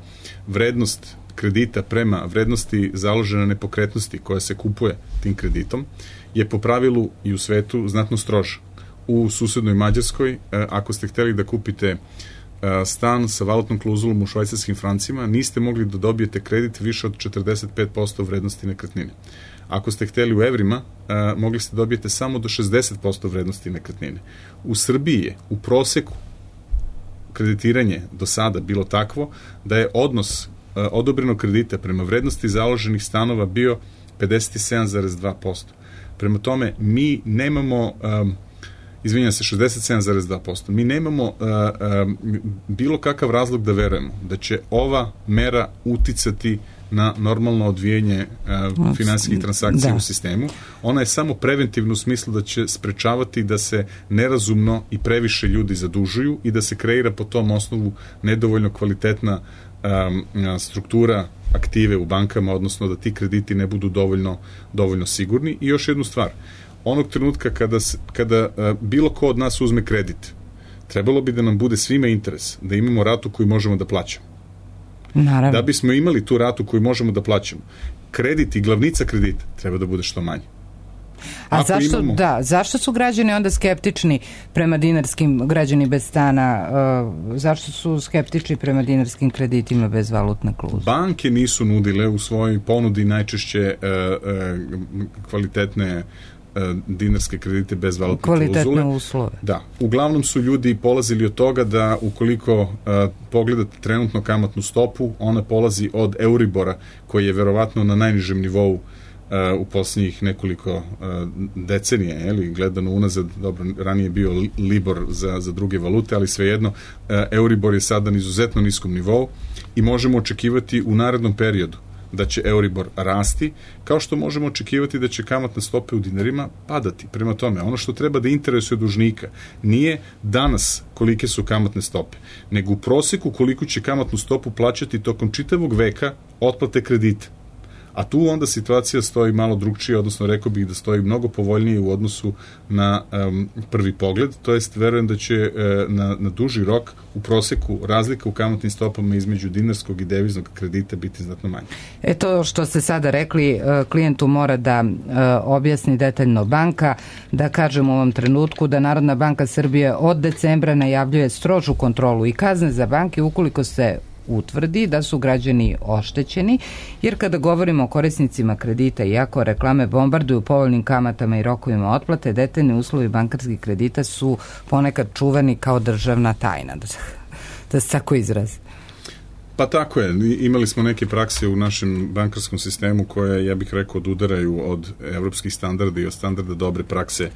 B: vrednost kredita prema vrednosti založene nepokretnosti koja se kupuje tim kreditom, je po pravilu i u svetu znatno stroža. U susednoj Mađarskoj, ako ste hteli da kupite stan sa valutnom klauzulom u švajcarskim francima, niste mogli da dobijete kredit više od četrdeset pet posto vrednosti nekretnine. Ako ste hteli u evrima, mogli ste dobijete samo do šezdeset posto vrednosti nekretnine. U Srbiji je u proseku kreditiranje do sada bilo takvo da je odnos odobrenog kredita prema vrednosti založenih stanova bio pedeset sedam zarez dva posto. Prema tome, mi nemamo, um, izvinjam se, šezdeset sedam zarez dva posto, mi nemamo uh, um, bilo kakav razlog da verujemo da će ova mera uticati na normalno odvijenje uh, finansijskih transakcija da. u sistemu. Ona je samo preventivna u smislu da će sprečavati da se nerazumno i previše ljudi zadužuju i da se kreira po tom osnovu nedovoljno kvalitetna um, struktura aktive u bankama, odnosno da ti krediti ne budu dovoljno, dovoljno sigurni. I još jednu stvar, onog trenutka kada, kada uh, bilo ko od nas uzme kredit, trebalo bi da nam bude svima interes da imamo ratu koju možemo da plaćamo.
A: Naravno.
B: Da bismo imali tu ratu koju možemo da plaćamo, kredit i glavnica kredita treba da bude što manje.
A: A Ako zašto, imamo... da, zašto su građani onda skeptični prema dinarskim, građani bez stana, uh, zašto su skeptični prema dinarskim kreditima bez valutne klauzule?
B: Banke nisu nudile u svojoj ponudi najčešće uh, uh, kvalitetne uh, dinarske kredite bez valutne klauzule.
A: Kvalitetne uslove.
B: Da. Uglavnom su ljudi polazili od toga da ukoliko uh, pogledate trenutno kamatnu stopu, ona polazi od Euribora, koji je verovatno na najnižem nivou Uh, u posljednjih nekoliko uh, decenija, ili gledano unazad, dobro, ranije je bio Libor za, za druge valute, ali svejedno, uh, Euribor je sada na izuzetno niskom nivou i možemo očekivati u narednom periodu da će Euribor rasti, kao što možemo očekivati da će kamatne stope u dinarima padati. Prema tome, ono što treba da interesuje dužnika nije danas kolike su kamatne stope, nego u proseku koliko će kamatnu stopu plaćati tokom čitavog veka otplate kredita. A tu onda situacija stoji malo drugčije, odnosno rekao bih da stoji mnogo povoljnije u odnosu na um, prvi pogled, to jest verujem da će uh, na, na duži rok u proseku razlika u kamatnim stopama između dinarskog i deviznog kredita biti znatno manje.
A: E to što ste sada rekli, uh, klijentu mora da uh, objasni detaljno banka, da kažem u ovom trenutku da Narodna banka Srbije od decembra najavljuje strožu kontrolu i kazne za banke ukoliko se utvrdi da su građani oštećeni, jer kada govorimo o korisnicima kredita, iako reklame bombarduju povoljnim kamatama i rokovima otplate, detaljni uslovi bankarskih kredita su ponekad čuvani kao državna tajna, da, da se tako izrazi.
B: Pa tako je, imali smo neke prakse u našem bankarskom sistemu koje, ja bih rekao, odudaraju od evropskih standarda i od standarda dobre prakse,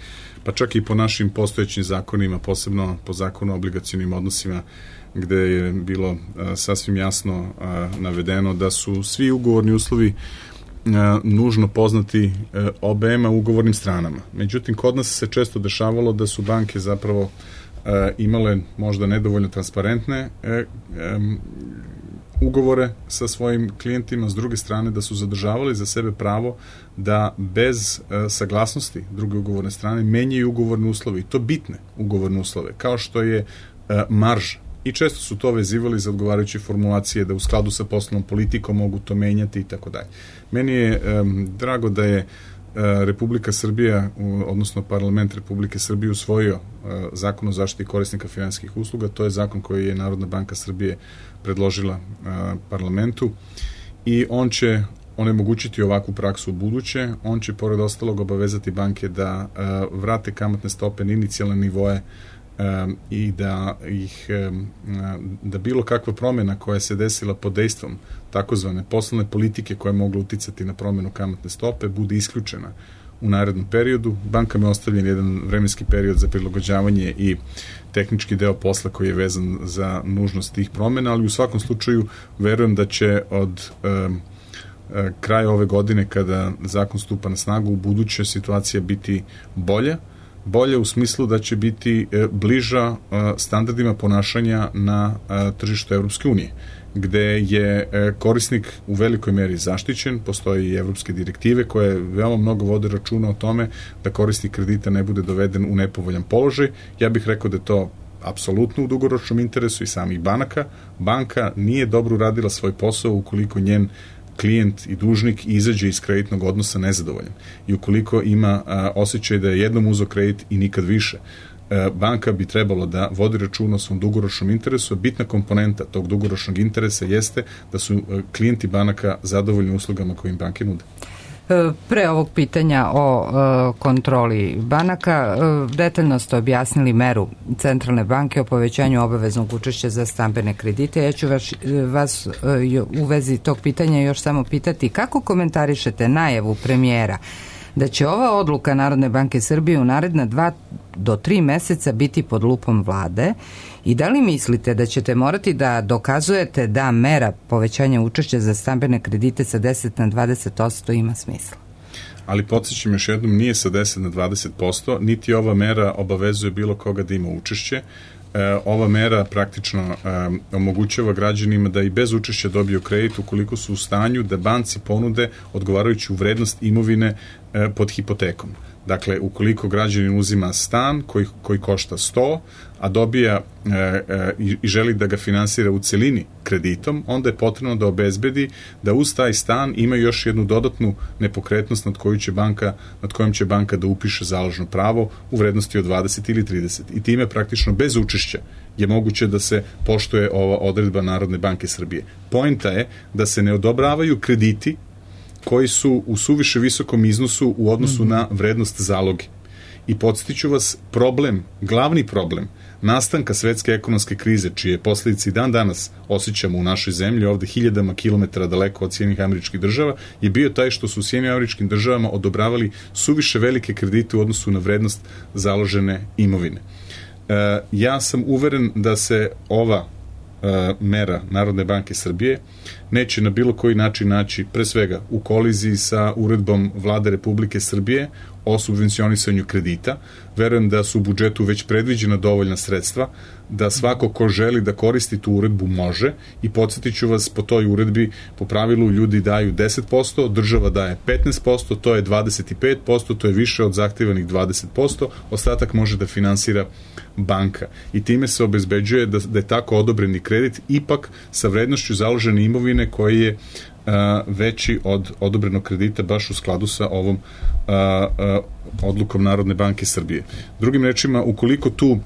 B: pa čak i po našim postojećim zakonima, posebno po zakonu o obligacionim odnosima, gde je bilo uh, sasvim jasno uh, navedeno da su svi ugovorni uslovi uh, nužno poznati uh, obema ugovornim stranama. Međutim, kod nas se često dešavalo da su banke zapravo uh, imale možda nedovoljno transparentne uh, um, ugovore sa svojim klijentima, s druge strane da su zadržavali za sebe pravo da bez uh, saglasnosti druge ugovorne strane menjaju ugovorne uslove, i to bitne ugovorne uslove, kao što je uh, marža. I često su to vezivali za odgovarajuće formulacije da u skladu sa poslovnom politikom mogu to menjati i tako dalje. Meni je um, drago da je uh, Republika Srbija, u, odnosno Parlament Republike Srbije usvojio uh, zakon o zaštiti korisnika finansijskih usluga. To je zakon koji je Narodna banka Srbije predložila uh, parlamentu i on će onemogućiti ovakvu praksu u buduće. On će pored ostalog obavezati banke da uh, vrate kamatne stope na inicijalne nivoe Um, i da ih um, da bilo kakva promjena koja se desila pod dejstvom takozvane poslovne politike koja je mogla uticati na promjenu kamatne stope bude isključena u narednom periodu. Bankama je ostavljen jedan vremenski period za prilagođavanje i tehnički deo posla koji je vezan za nužnost tih promena, ali u svakom slučaju verujem da će od um, kraja ove godine, kada zakon stupa na snagu, u buduće situacija biti bolja, bolje u smislu da će biti bliža standardima ponašanja na tržištu Evropske unije, gde je korisnik u velikoj meri zaštićen. Postoje i evropske direktive koje veoma mnogo vode računa o tome da korisnik kredita ne bude doveden u nepovoljan položaj. Ja bih rekao da je to apsolutno u dugoročnom interesu i samih banaka. Banka nije dobro uradila svoj posao ukoliko njen klijent i dužnik izađe iz kreditnog odnosa nezadovoljan i ukoliko ima a, osjećaj da je jednom uzeo kredit i nikad više. A, banka bi trebalo da vodi računa o svom dugoročnom interesu. Bitna komponenta tog dugoročnog interesa jeste da su a, klijenti banaka zadovoljni uslugama koje im banke nude.
A: Pre ovog pitanja o e, kontroli banaka, e, detaljno ste objasnili meru Centralne banke o povećanju obaveznog učešća za stambene kredite. Ja ću vas, vas e, u vezi tog pitanja još samo pitati kako komentarišete najavu premijera da će ova odluka Narodne banke Srbije u naredna dva do tri meseca biti pod lupom vlade i da li mislite da ćete morati da dokazujete da mera povećanja učešća za stambene kredite sa deset na dvadeset posto ima smisla?
B: Ali podsjećam još jednom, nije sa deset na dvadeset posto, niti ova mera obavezuje bilo koga da ima učešće. E, ova mera praktično e, omogućava građanima da i bez učešća dobiju kredit ukoliko su u stanju da banci ponude odgovarajuću vrednost imovine e, pod hipotekom. Dakle, ukoliko građanin uzima stan koji, koji košta sto, a dobija e, e, i želi da ga finansira u celini kreditom, onda je potrebno da obezbedi da uz taj stan ima još jednu dodatnu nepokretnost nad koju će banka, nad kojom će banka da upiše založno pravo u vrednosti od dvadeset ili trideset. I time praktično bez učešća je moguće da se poštuje ova odredba Narodne banke Srbije. Poenta je da se ne odobravaju krediti koji su u suviše visokom iznosu u odnosu mm-hmm. na vrednost zaloge. I podsjetiću vas, problem, glavni problem nastanka svetske ekonomske krize, čije posljedice i dan danas osjećamo u našoj zemlji, ovde hiljadama kilometara daleko od Sjedinjenih Američkih Država, je bio taj što su u Sjedinjenim Američkim Državama odobravali suviše velike kredite u odnosu na vrednost založene imovine. E, ja sam uveren da se ova mera Narodne banke Srbije neće na bilo koji način naći, pre svega u koliziji sa uredbom Vlade Republike Srbije o subvencionisanju kredita. Verujem da su u budžetu već predviđena dovoljna sredstva, da svako ko želi da koristi tu uredbu može, i podsjetit ću vas, po toj uredbi po pravilu ljudi daju deset posto, država daje petnaest posto, to je dvadeset pet posto, to je više od zahtevanih dvadeset posto, ostatak može da finansira banka. I time se obezbeđuje da, da je tako odobreni kredit ipak sa vrednošću založene imovine koji je a, veći od odobrenog kredita baš u skladu sa ovom a, a, odlukom Narodne banke Srbije. Drugim rečima, ukoliko tu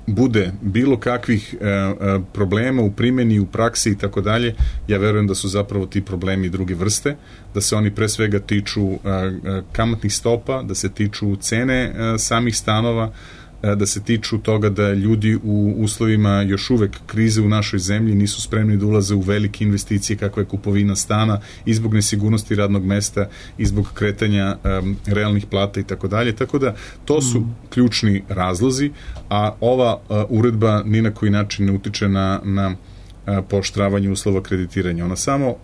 B: bude bilo kakvih e, e, problema u primjeni, u praksi i tako dalje, ja verujem da su zapravo ti problemi druge vrste, da se oni pre svega tiču e, e, kamatnih stopa, da se tiču cene e, samih stanova, e, da se tiču toga da ljudi u uslovima još uvek krize u našoj zemlji nisu spremni da ulaze u velike investicije kakva je kupovina stana i zbog nesigurnosti radnog mesta i zbog kretanja e, realnih plata i tako dalje. Tako da to su mm. ključni razlozi, a ova a, uredba ni na koji način ne utiče na, na a, pooštravanje uslova kreditiranja. Ona samo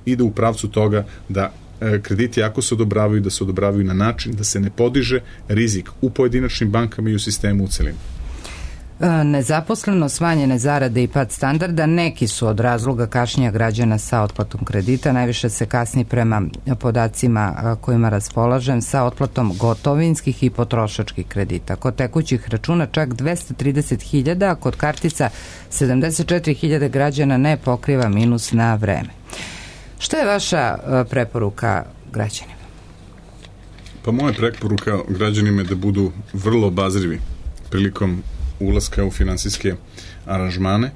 B: ide u pravcu toga da a, krediti ako se odobravaju, da se odobravaju na način da se ne podiže rizik u pojedinačnim bankama i u sistemu u celini.
A: Nezaposleno, smanjene zarade i pad standarda neki su od razloga kašnjenja građana sa otplatom kredita. Najviše se kasni prema podacima kojima raspolažem sa otplatom gotovinskih i potrošačkih kredita. Kod tekućih računa čak dvesta trideset hiljada, a kod kartica sedamdeset četiri hiljade građana ne pokriva minus na vreme. Šta je vaša preporuka građanima?
B: Pa moja preporuka građanima je da budu vrlo obazrivi prilikom ulaska u finansijske aranžmane,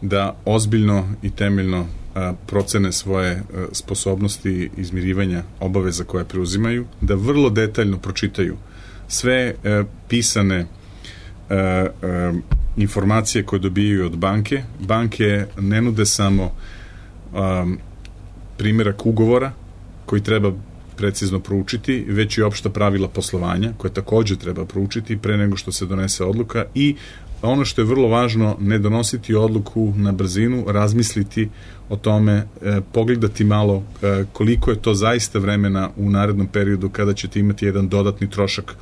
B: da ozbiljno i temeljno a, procene svoje a, sposobnosti izmirivanja obaveza koje preuzimaju, da vrlo detaljno pročitaju sve a, pisane a, a, informacije koje dobijaju od banke. Banke ne nude samo a, primjerak ugovora koji treba precizno proučiti, već i opšta pravila poslovanja, koje takođe treba proučiti pre nego što se donese odluka i ono što je vrlo važno, ne donositi odluku na brzinu, razmisliti o tome, e, pogledati malo e, koliko je to zaista vremena u narednom periodu kada ćete imati jedan dodatni trošak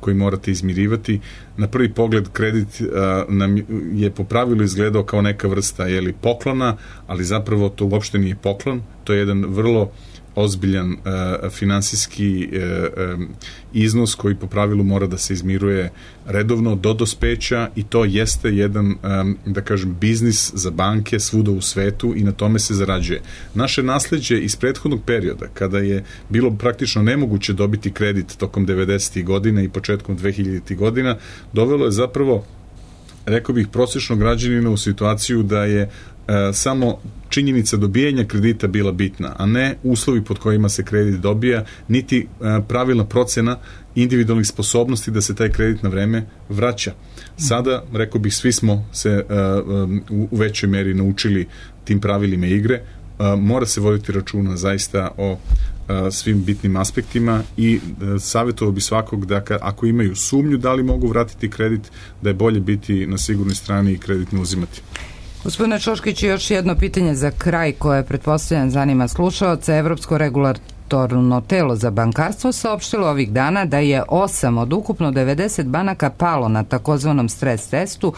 B: koji morate izmirivati. Na prvi pogled kredit e, nam je po pravilu izgledao kao neka vrsta jeli, poklona, ali zapravo to uopšte nije poklon, to je jedan vrlo ozbiljan uh, finansijski uh, um, iznos koji po pravilu mora da se izmiruje redovno do dospeća i to jeste jedan, um, da kažem, biznis za banke svuda u svetu i na tome se zarađuje. Naše nasleđe iz prethodnog perioda, kada je bilo praktično nemoguće dobiti kredit tokom devedesetih godina i početkom dvehiljaditih godina, dovelo je zapravo, rekao bih, prosječnog građanina u situaciju da je uh, samo činjenica dobijanja kredita bila bitna, a ne uslovi pod kojima se kredit dobija, niti pravilna procena individualnih sposobnosti da se taj kredit na vreme vraća. Sada, rekao bih, svi smo se u većoj meri naučili tim pravilima igre. Mora se voditi računa zaista o svim bitnim aspektima i savjetovao bi svakog da ako imaju sumnju da li mogu vratiti kredit, da je bolje biti na sigurnoj strani i kredit ne uzimati.
A: Gospodine Čoškić, još jedno pitanje za kraj koje pretpostavljam zanima slušaoca. Evropsko regulatorno telo za bankarstvo saopštilo ovih dana da je osam od ukupno devedeset banaka palo na takozvanom stres testu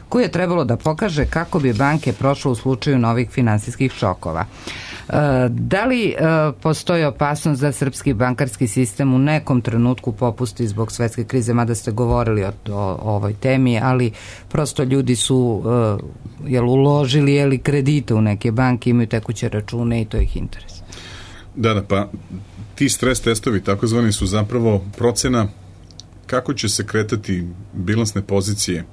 A: koji je trebalo da pokaže kako bi banke prošle u slučaju novih finansijskih šokova. Da li postoji opasnost da srpski bankarski sistem u nekom trenutku popusti zbog svetske krize, mada ste govorili o, o ovoj temi, ali prosto ljudi su jel, uložili jel, kredite u neke banke, imaju tekuće račune i to ih interes.
B: Da, da, pa ti stres testovi takozvani su zapravo procena kako će se kretati bilansne pozicije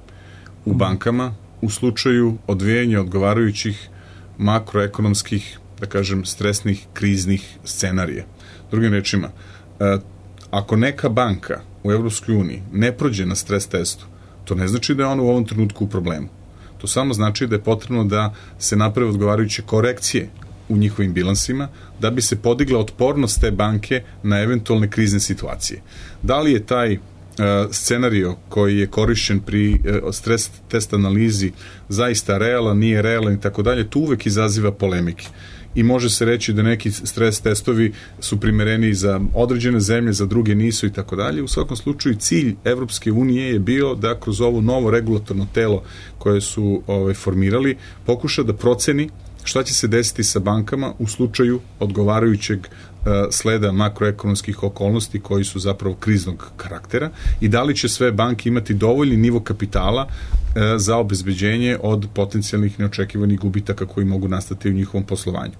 B: u bankama u slučaju odvijanja odgovarajućih makroekonomskih, da kažem, stresnih, kriznih scenarija. Drugim rečima, ako neka banka u Evropskoj uniji ne prođe na stres testu, to ne znači da je ona u ovom trenutku u problemu. To samo znači da je potrebno da se naprave odgovarajuće korekcije u njihovim bilansima, da bi se podigla otpornost te banke na eventualne krizne situacije. Da li je taj scenario koji je korišćen pri stres test analizi zaista realan, nije realan i tako dalje, tu uvek izaziva polemike. I može se reći da neki stres testovi su primereni za određene zemlje, za druge nisu i tako dalje. U svakom slučaju cilj Evropske unije je bio da kroz ovo novo regulatorno telo koje su ovaj, formirali pokuša da proceni šta će se desiti sa bankama u slučaju odgovarajućeg sleda makroekonomskih okolnosti koji su zapravo kriznog karaktera i da li će sve banke imati dovoljni nivo kapitala za obezbeđenje od potencijalnih neočekivanih gubitaka koji mogu nastati u njihovom poslovanju.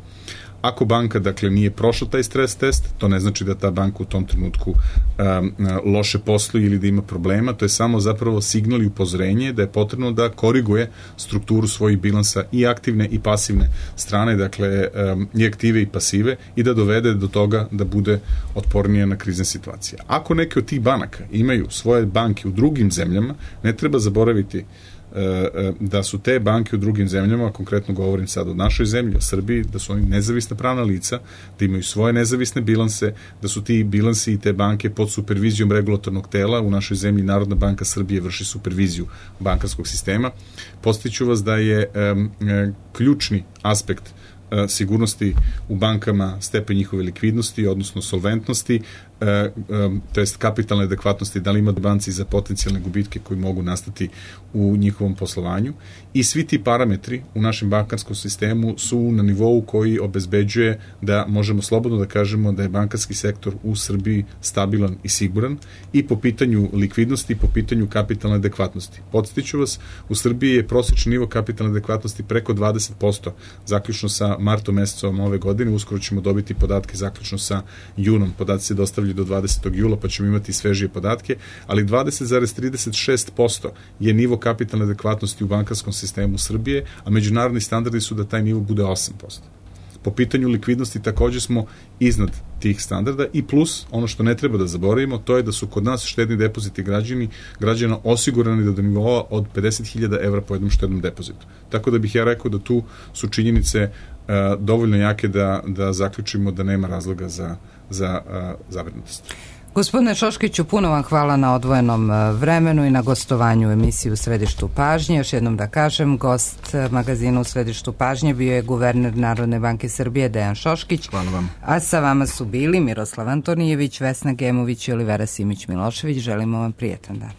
B: Ako banka, dakle, nije prošla taj stres test, to ne znači da ta banka u tom trenutku um, loše posluje ili da ima problema, to je samo zapravo signal i upozorenje da je potrebno da koriguje strukturu svojih bilansa i aktivne i pasivne strane, dakle, um, i aktive i pasive i da dovede do toga da bude otpornije na krizne situacije. Ako neke od tih banaka imaju svoje banke u drugim zemljama, ne treba zaboraviti da su te banke u drugim zemljama, konkretno govorim sad o našoj zemlji, o Srbiji, da su oni nezavisna pravna lica, da imaju svoje nezavisne bilanse, da su ti bilansi i te banke pod supervizijom regulatornog tela. U našoj zemlji Narodna banka Srbije vrši superviziju bankarskog sistema. Podsjeću vas da je um, ključni aspekt sigurnosti u bankama stepen njihove likvidnosti, odnosno solventnosti, to jest kapitalne adekvatnosti, da li ima banci za potencijalne gubitke koji mogu nastati u njihovom poslovanju. I svi ti parametri u našem bankarskom sistemu su na nivou koji obezbeđuje da možemo slobodno da kažemo da je bankarski sektor u Srbiji stabilan i siguran i po pitanju likvidnosti i po pitanju kapitalne adekvatnosti. Podsjetiću vas, u Srbiji je prosječni nivo kapitalne adekvatnosti preko dvadeset posto, zaključno sa martom mesecom ove godine, uskoro ćemo dobiti podatke zaključno sa junom, podaci se dostavljaju do dvadesetog jula, pa ćemo imati svežije podatke, ali dvadeset zarez trideset šest posto je nivo kapitalne adekvatnosti u bankarskom sistemu Srbije, a međunarodni standardi su da taj nivo bude osam posto. Po pitanju likvidnosti takođe smo iznad tih standarda i plus, ono što ne treba da zaboravimo, to je da su kod nas štedni depoziti građani, građana osigurani do nivoa od pedeset hiljada evra po jednom štednom depozitu. Tako da bih ja rekao da tu su činjenice uh, dovoljno jake da, da zaključimo da nema razloga za za zabrinutost.
A: Gospodine Šoškiću, puno vam hvala na odvojenom vremenu i na gostovanju u emisiji U središtu pažnje. Još jednom da kažem, gost magazina U središtu pažnje bio je guverner Narodne banke Srbije Dejan Šoškić.
B: Hvala vam.
A: A sa vama su bili Miroslav Antonijević, Vesna Gemović i Olivera Simić Milošević. Želimo vam prijetan dan.